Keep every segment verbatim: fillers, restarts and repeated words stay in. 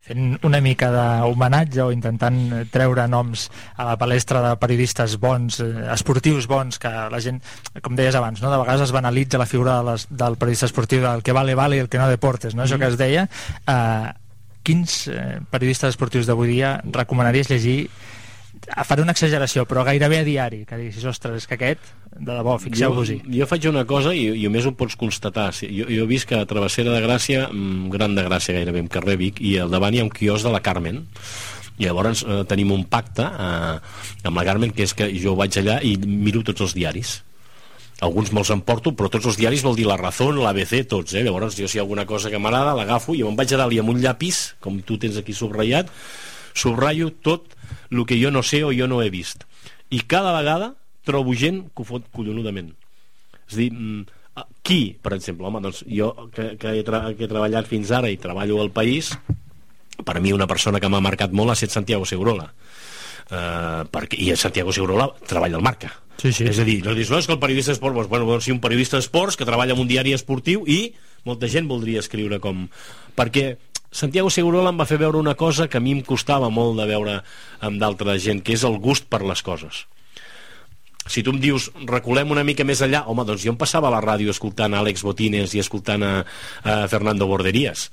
fent una mica d'homenatge o intentant treure noms a la palestra de periodistes bons, eh, esportius bons, que la gent, com deies abans, no? De vegades es banalitza la figura de les, del periodista esportiu, del que vale vale i el que no deportes, no? Mm-hmm. Això que es deia. Eh, quins eh, periodistes esportius d'avui dia recomanaries llegir? Faré una exageració, però gairebé a diari, que diguis, ostres, és que aquest, de debò, fixeu-vos-hi. Jo, jo faig una cosa i, i a més ho pots constatar. Jo, jo he vist que a Travessera de Gràcia, Gran de Gràcia gairebé, en carrer Vic, i al davant hi ha un quios de la Carmen, i llavors eh, tenim un pacte eh, amb la Carmen, que és que jo vaig allà i miro tots els diaris. Alguns me'ls emporto, però tots els diaris vol dir La Razón, l'A B C, tots, eh? Llavors jo, si hi ha alguna cosa que m'agrada, l'agafo i me'n vaig a dalt i amb un llapis, com tu tens aquí subratllat, subratllo tot el que jo no sé o jo no he vist. I cada vegada trobo gent que ho fot collonudament. És a dir, qui, per exemple, home, doncs jo que, que, he tra que he treballat fins ara i treballo al País, per a mi una persona que m'ha marcat molt ha estat Santiago Segurola. Uh, perquè, i Santiago Segurola treballa al Marca. Sí, sí. És a dir, no dius, no, és que el periodista d'esports, doncs, bueno, doncs, sí, un periodista d'esports que treballa en un diari esportiu i molta gent voldria escriure com... Perquè Santiago Segurola em va fer veure una cosa que a mi em costava molt de veure amb d'altra gent, que és el gust per les coses. Si tu em dius, reculem una mica més allà, home, doncs jo em passava a la ràdio escoltant a Àlex Botines i escoltant a, a Fernando Borderías,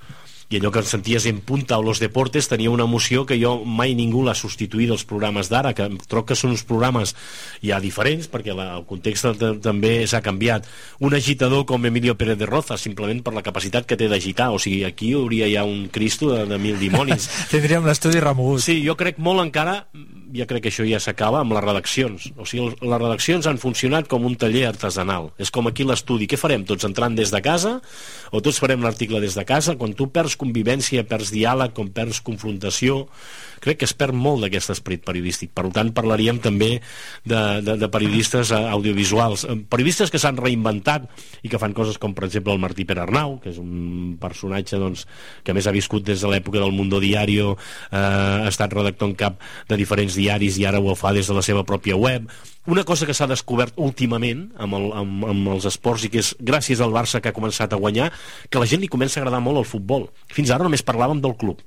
i allò que senties en punta o Los Deportes tenia una emoció que jo mai ningú l'ha substituït dels programes d'ara, que troc que són uns programes ja diferents, perquè la, el context també s'ha canviat. Un agitador com Emilio Pérez de Roza, simplement per la capacitat que té d'agitar, o sigui, aquí hi hauria ja un Cristo de, de mil dimonis. Tindríem l'estudi remogut. Sí, jo crec molt encara, ja crec que això ja s'acaba amb les redaccions, o sigui, les redaccions han funcionat com un taller artesanal, és com aquí l'estudi. Què farem? Tots entrant des de casa o tots farem l'article des de casa? Quan tu perds convivència, perds diàleg, com perds confrontació, crec que es perd molt d'aquest esperit periodístic. Per tant, parlaríem també de, de, de periodistes audiovisuals, periodistes que s'han reinventat i que fan coses com, per exemple, el Martí Perarnau, que és un personatge doncs, que a més ha viscut des de l'època del Mundo Diario, eh, ha estat redactor en cap de diferents diaris i ara ho fa des de la seva pròpia web. Una cosa que s'ha descobert últimament amb, el, amb, amb els esports i que és gràcies al Barça que ha començat a guanyar, que a la gent li comença a agradar molt el futbol. Fins ara només parlàvem del club.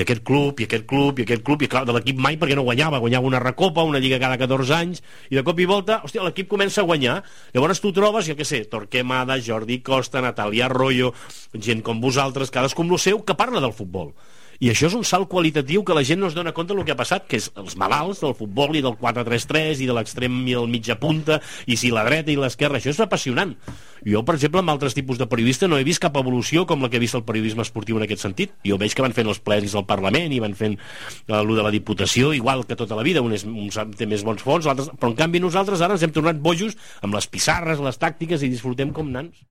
I aquest club, i aquest club, i aquest club, i clar, de l'equip mai perquè no guanyava. Guanyava una recopa, una lliga cada catorze anys, i de cop i volta, hòstia, l'equip comença a guanyar. Llavors tu trobes, jo què sé, Torquemada, Jordi Costa, Natàlia Arroyo, gent com vosaltres, cadascú amb lo seu, que parla del futbol. I això és un salt qualitatiu que la gent no es dona compte del que ha passat, que és els malalts del futbol i del quatre tres tres i de l'extrem i el mitja punta, i si la dreta i l'esquerra, això és apassionant. Jo, per exemple, amb altres tipus de periodista no he vist cap evolució com la que he vist el periodisme esportiu en aquest sentit. Jo veig que van fent els plens al Parlament i van fent eh, allò de la Diputació, igual que tota la vida, un, és, un té més bons fons, l'altre, però en canvi nosaltres ara ens hem tornat bojos amb les pissarres, les tàctiques i disfrutem com nans.